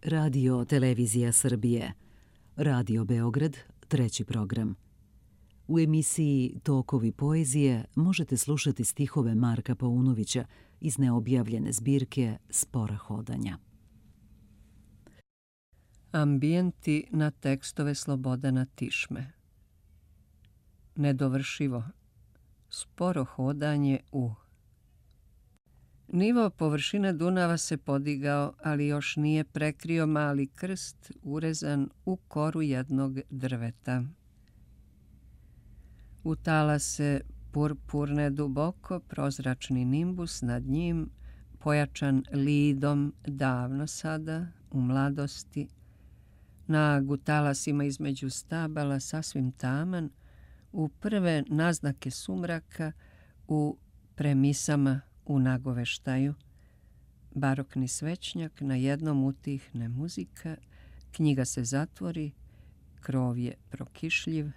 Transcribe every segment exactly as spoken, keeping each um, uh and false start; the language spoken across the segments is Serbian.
Radio Televizija Srbije, Radio Beograd, treći program. U emisiji Tokovi poezije možete slušati stihove Marka Paunovića iz neobjavljene zbirke Spora hodanja. Ambijenti na tekstove Slobodana Tišme. Nedovršivo. Sporo hodanje u. Nivo površine Dunava se podigao, ali još nije prekrio mali krst urezan u koru jednog drveta. Utala se purpurne duboko prozračni nimbus nad njim, pojačan lidom davno sada, u mladosti. Nag u talasima između stabala sasvim taman, u prve naznake sumraka, u premisama u nagoveštaju. Barokni svećnjak, na jednom utihne muzika, knjiga se zatvori, krov je prokišljiv,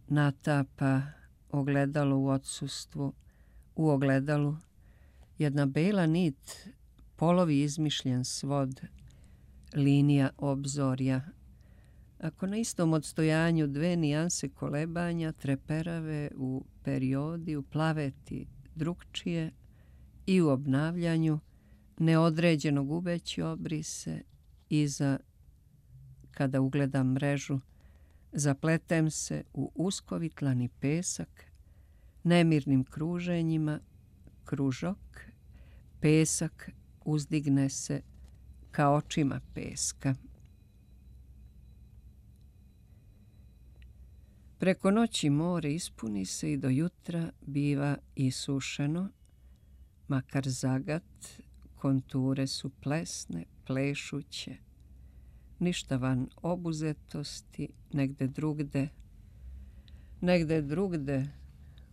natapa ogledalo u odsustvu, u ogledalu jedna bela nit, polovi izmišljen svod, linija obzorja. Ako na istom odstojanju dve nijanse kolebanja treperave u periodi, u plaveti drugčije i u obnavljanju, neodređeno gubeći obrise, iza, kada ugledam mrežu, zapletem se u uskovitlani pesak, nemirnim kruženjima, kružok, pesak uzdigne se ka očima peska. Preko noći more ispuni se i do jutra biva isušeno, makar zagat, konture su plesne, plešuće, ništa van obuzetosti, negde drugde, negde drugde,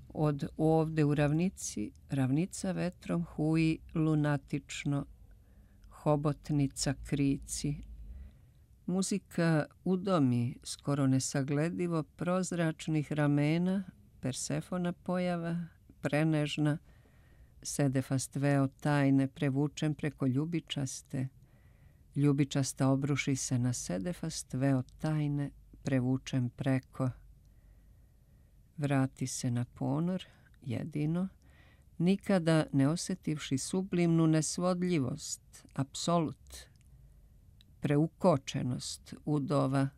od ovde u ravnici, ravnica vetrom huji lunatično, hobotnica krici. Muzika udomi skoro nesagledivo prozračnih ramena, Persefona pojava, prenežna, sedefast veo tajne prevučen preko ljubičaste, ljubičasta obruši se na sedefast veo tajne prevučen preko. Vrati se na ponor, jedino, nikada ne osjetivši sublimnu nesvodljivost, apsolut, preukočenost udova.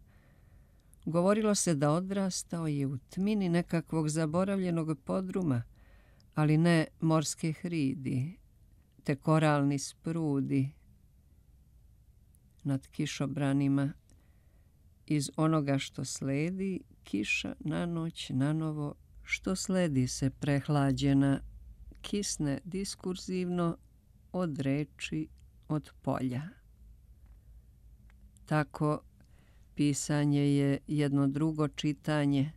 Govorilo se da odrastao je u tmini nekakvog zaboravljenog podruma, ali ne morske hridi, te koralni sprudi nad kišobranima. Iz onoga što sledi, kiša na noć nanovo, što sledi se prehlađena, kisne diskurzivno od reči, od polja. Tako pisanje je jedno drugo čitanje,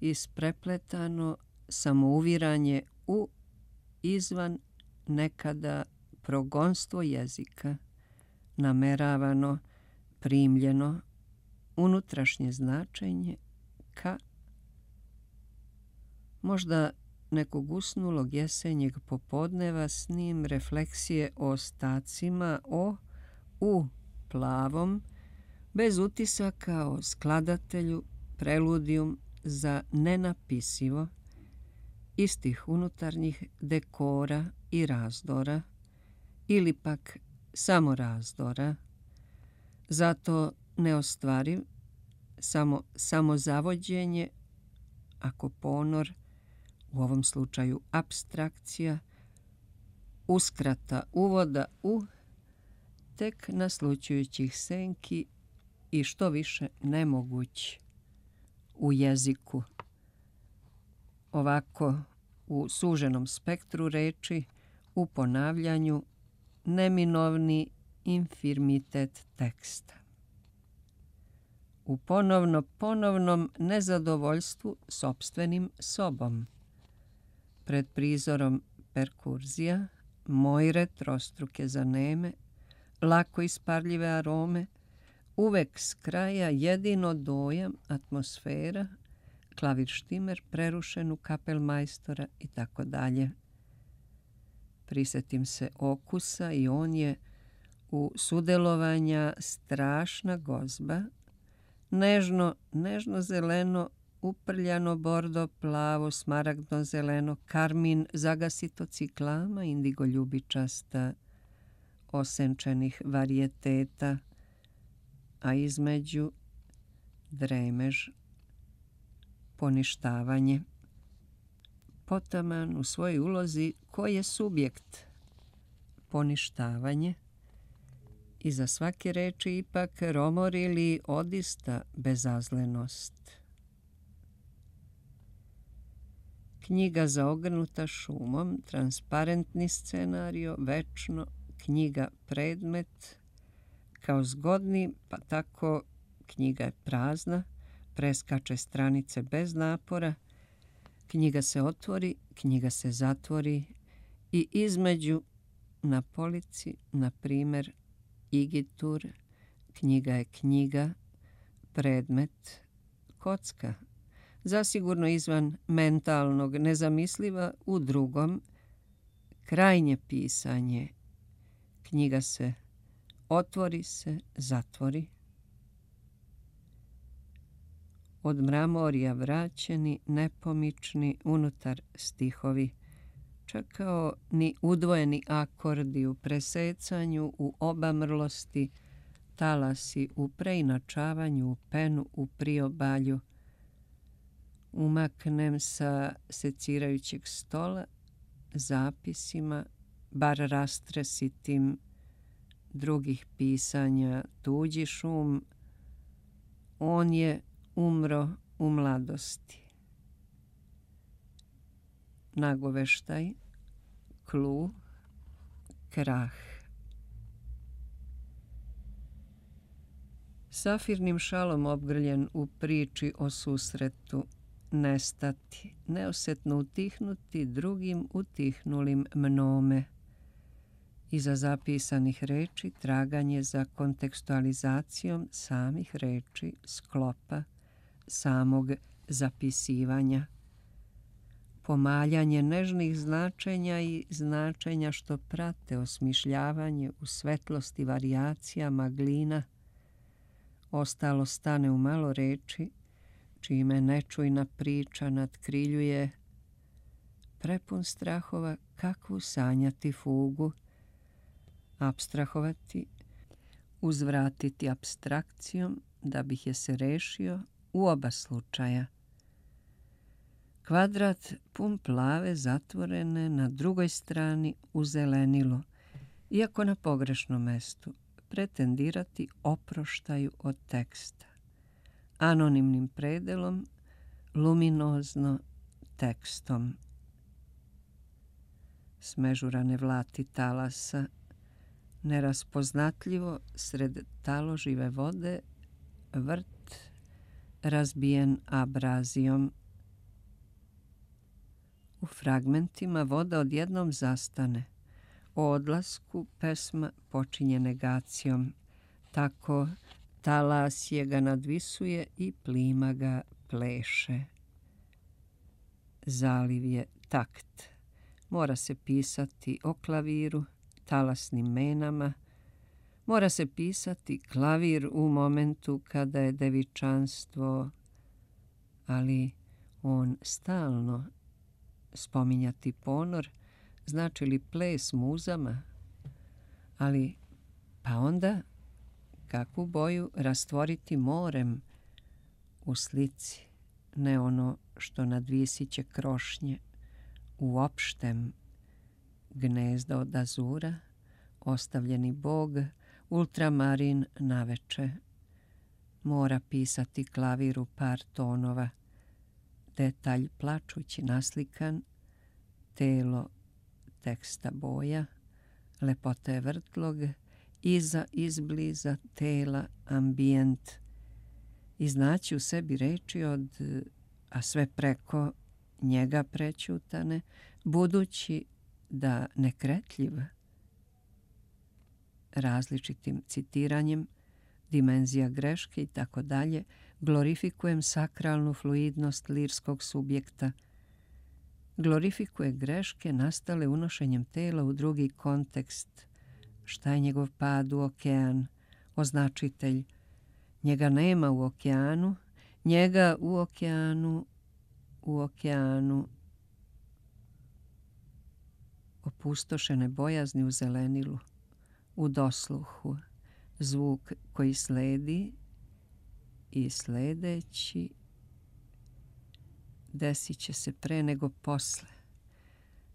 isprepletano samouviranje u izvan nekada progonstvo jezika, nameravano, primljeno, unutrašnje značenje ka možda nekog usnulog jesenjeg popodneva s njim refleksije o ostacima, o u plavom, bez utisaka o skladatelju, preludijum za nenapisivo, istih unutarnjih dekora i razdora, ili pak samo razdora, zato neostvariv, samo samozavođenje, ako ponor, u ovom slučaju apstrakcija, uskrata uvoda u tek naslućujućih senki i što više nemoguć u jeziku. Ovako, u suženom spektru reči, u ponavljanju, neminovni infirmitet teksta. U ponovno ponovnom nezadovoljstvu sopstvenim sobom. Pred prizorom perkurzija, mojre trostruke zaneme, lako isparljive arome, uvek s kraja jedino dojam, atmosfera, klavir štimer prerušen u kapelmajstora i tako dalje. Prisetim se okusa i on je u sudelovanja strašna gozba, nežno, nežno zeleno, uprljano bordo, plavo, smaragdno zeleno, karmin, zagasito ciklama, indigo ljubičasta, osenčenih varijeteta, a između dremež, poništavanje. Potaman u svojoj ulozi ko je subjekt? Poništavanje. Iza svake reči ipak romor ili odista bezazlenost. Knjiga zaogrnuta šumom, transparentni scenario, večno, knjiga predmet, kao zgodni, pa tako knjiga je prazna, preskače stranice bez napora, knjiga se otvori, knjiga se zatvori i između na polici, na primjer, igitur, knjiga je knjiga, predmet, kocka, zasigurno izvan mentalnog, nezamisliva u drugom, krajnje pisanje, knjiga se otvori se, zatvori. Od mramorja vraćeni, nepomični, unutar stihovi, čekao ni udvojeni akordi u presecanju, u obamrlosti, talasi u preinačavanju, u penu, u priobalju. Umaknem sa secirajućeg stola, zapisima, bar rastresitim drugih pisanja, tuđi šum, on je umro u mladosti. Nagoveštaj, klu, krah. Safirnim šalom obgrljen u priči o susretu, nestati, neosetno utihnuti drugim utihnulim mnome. Iza zapisanih reči traganje za kontekstualizacijom samih reči, sklopa, samog zapisivanja. Pomaljanje nežnih značenja i značenja što prate osmišljavanje u svetlosti varijacija maglina. Ostalo stane u malo reči, čime nečujna priča natkriljuje, prepun strahova kakvu sanjati fugu, apstrahovati, uzvratiti apstrakcijom da bih je se rešio u oba slučaja. Kvadrat pun plave zatvorene na drugoj strani u zelenilo, iako na pogrešnom mestu, pretendirati oproštaju od teksta. Anonimnim predelom, luminozno tekstom. Smežurane vlati talasa, neraspoznatljivo sred taložive vode, vrt razbijen abrazijom. U fragmentima voda odjednom zastane. O odlasku pesma počinje negacijom. Tako talas je ga nadvisuje i plima ga pleše. Zaliv je takt. Mora se pisati o klaviru, talasnim menama. Mora se pisati klavir u momentu kada je devičanstvo, ali on stalno spominjati ponor, znači li ples muzama, ali pa onda kakvu boju rastvoriti morem u slici, ne ono što nadvisiće krošnje u opštem gnezda od azura, ostavljeni bog, ultramarin naveče. Mora pisati klaviru par tonova, detalj plačući naslikan, telo teksta boja, lepota je vrtlog, iza izbliza tela ambijent, iznaći u sebi reči od, a sve preko njega prećutane, budući da nekretljiv, različitim citiranjem, dimenzija greške i tako dalje, glorifikujem sakralnu fluidnost lirskog subjekta, glorifikuje greške nastale unošenjem tela u drugi kontekst, Šta je njegov pad u okean? Označitelj. Njega nema u okeanu, njega u okeanu, u okeanu. Opustošene bojazni u zelenilu, u dosluhu, zvuk koji sledi i sledeći desit će se pre nego posle.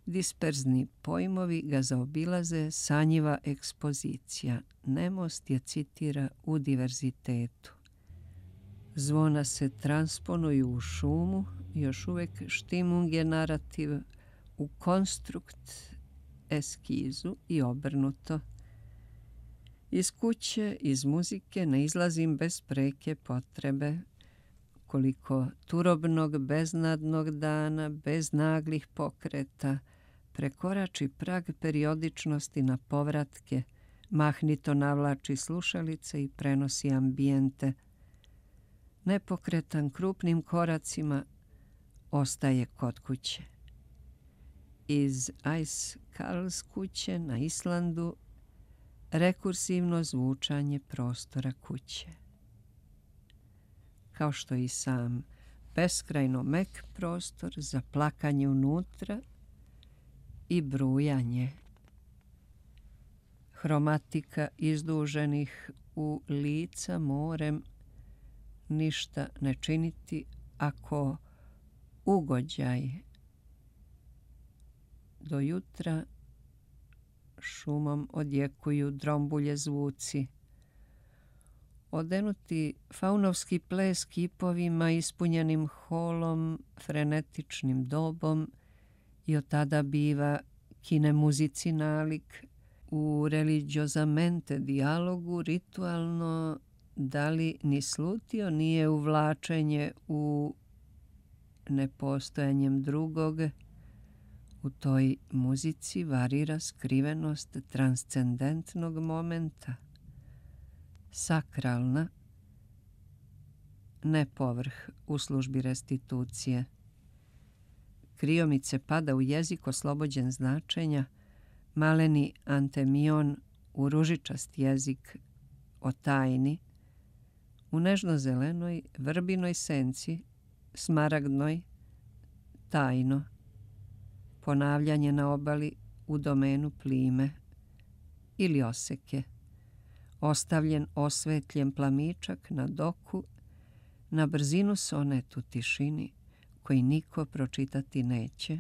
Disperzni pojmovi ga zaobilaze, sanjiva ekspozicija. Nemost je citira u diverzitetu. Zvona se transponuju u šumu, još uvek štimung je narativ u konstrukt eskizu i obrnuto. Iz kuće, iz muzike ne izlazim bez preke potrebe. Koliko turobnog, beznadnog dana, bez naglih pokreta, prekorači prag periodičnosti na povratke, mahnito navlači slušalice i prenosi ambijente. Nepokretan krupnim koracima ostaje kod kuće. Iz Ice Karls kuće na Islandu rekursivno zvučanje prostora kuće. Kao što i sam beskrajno mek prostor za plakanje unutra i brujanje. Hromatika izduženih u lica morem ništa ne činiti ako ugođaj do jutra šumom odjekuju drombulje zvuci. Odenuti faunovski ples kipovima ispunjenim holom, frenetičnim dobom i od tada biva kine muzici nalik u religiozamente dijalogu ritualno, da li ni slutio nije uvlačenje u nepostojanjem drugog. U toj muzici varira skrivenost transcendentnog momenta, sakralna, ne povrh u službi restitucije. Kriomice pada u jezik oslobođen značenja, maleni antemion u ružičast jezik o tajni, u nežno-zelenoj vrbinoj senci, smaragdnoj, tajno, ponavljanje na obali u domenu plime ili oseke, ostavljen osvetljen plamičak na doku, na brzinu sonet u tišini koji niko pročitati neće,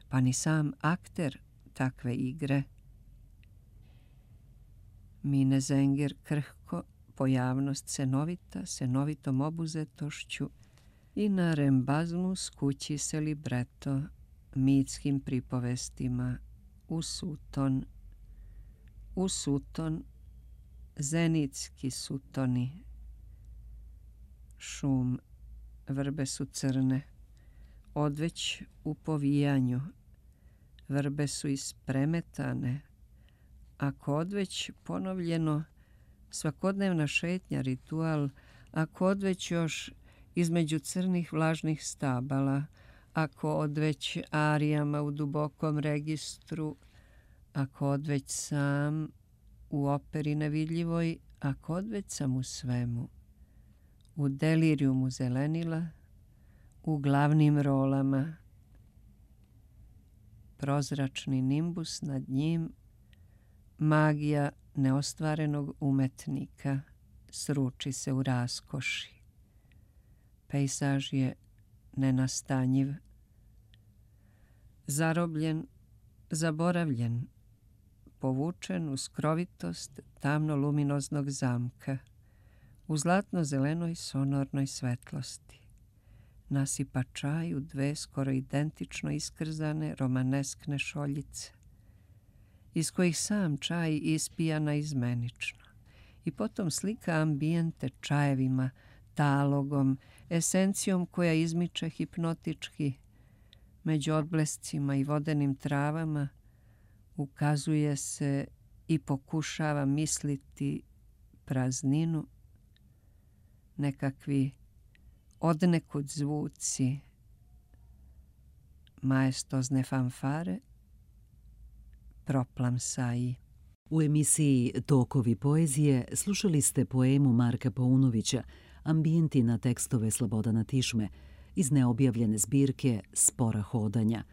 pa ni sam akter takve igre. Mine Zenger krhko, pojavnost senovita, senovitom obuzetošću i na rembazmu skući se libreto mitskim pripovestima u suton, u suton, zenitski sutoni. Šum, vrbe su crne, odveć u povijanju, vrbe su ispremetane, ako odveć ponovljeno, svakodnevna šetnja, ritual, ako odveć još između crnih vlažnih stabala, ako odveć arijama u dubokom registru, ako odveć sam u operi nevidljivoj, ako odveć sam u svemu, u delirijumu zelenila, u glavnim rolama, prozračni nimbus nad njim, magija neostvarenog umetnika sruči se u raskoši. Pejsaž je nenastanjiv, zarobljen, zaboravljen, povučen u skrovitost tamno-luminoznog zamka, u zlatno-zelenoj sonornoj svetlosti. Nasipa čaj u dve skoro identično iskrzane romaneskne šoljice, iz kojih sam čaj ispija naizmenično, i potom slika ambijente čajevima, talogom, esencijom koja izmiče hipnotički, među odblescima i vodenim travama, ukazuje se i pokušava misliti prazninu, nekakvi odnekud zvuci, maestozne fanfare, proplamsaji. U emisiji Tokovi poezije slušali ste poemu Marka Paunovića Ambijenti na tekstove Slobodana Tišme iz neobjavljene zbirke Spora hodanja.